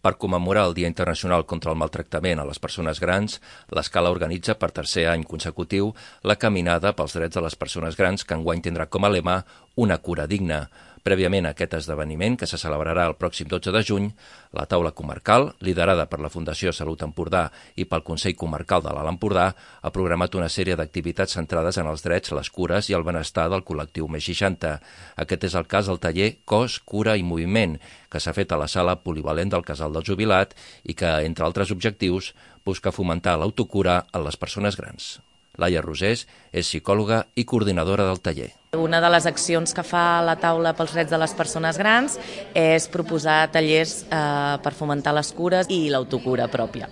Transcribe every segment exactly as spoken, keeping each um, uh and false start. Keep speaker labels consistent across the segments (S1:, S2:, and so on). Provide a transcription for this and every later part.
S1: Per commemorar el Dia Internacional contra el Maltractament a les Persones Grans, l'Escala organitza per tercer any consecutiu la Caminada pels Drets de les Persones Grans, que enguany tindrà com a lema Una cura digna. Prèviament a aquest esdeveniment, que se celebrarà el pròxim dotze de juny, la taula comarcal, liderada per la Fundació Salut Empordà i pel Consell Comarcal de l'Alt Empordà, ha programat una sèrie d'activitats centrades en els drets, les cures i el benestar del col·lectiu més seixanta. Aquest és el cas del taller Cos, Cura i Moviment, que s'ha fet a la sala polivalent del Casal del Jubilat i que, entre altres objectius, busca fomentar l'autocura en les persones grans. Laia Rosés és psicòloga i coordinadora del taller.
S2: Una de les accions que fa la taula pels drets de les persones grans és proposar tallers eh, per fomentar les cures i l'autocura pròpia.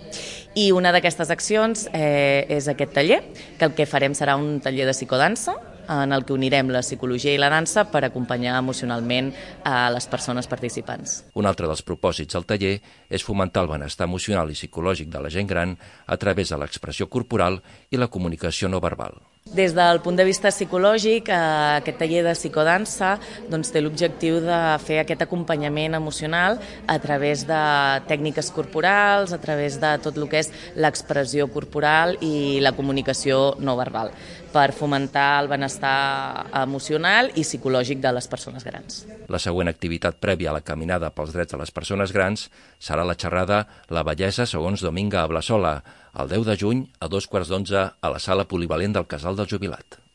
S2: I una d'aquestes accions eh, és aquest taller, que el que farem serà un taller de psicodansa, en el que unirem la psicologia i la dansa per acompanyar emocionalment a les persones participants.
S1: Un altre dels propòsits del taller és fomentar el benestar emocional i psicològic de la gent gran a través de l'expressió corporal i la comunicació no verbal.
S2: Des del punt de vista psicològic, aquest taller de psicodansa doncs, té l'objectiu de fer aquest acompanyament emocional a través de tècniques corporals, a través de tot el que és l'expressió corporal i la comunicació no verbal, per fomentar el benestar emocional i psicològic de les persones grans.
S1: La següent activitat prèvia a la Caminada pels Drets de les Persones Grans serà la xerrada La bellesa segons Dominga Ablasola, el deu de juny a dos quarts d'onze a la sala polivalent del Casal del Jubilat.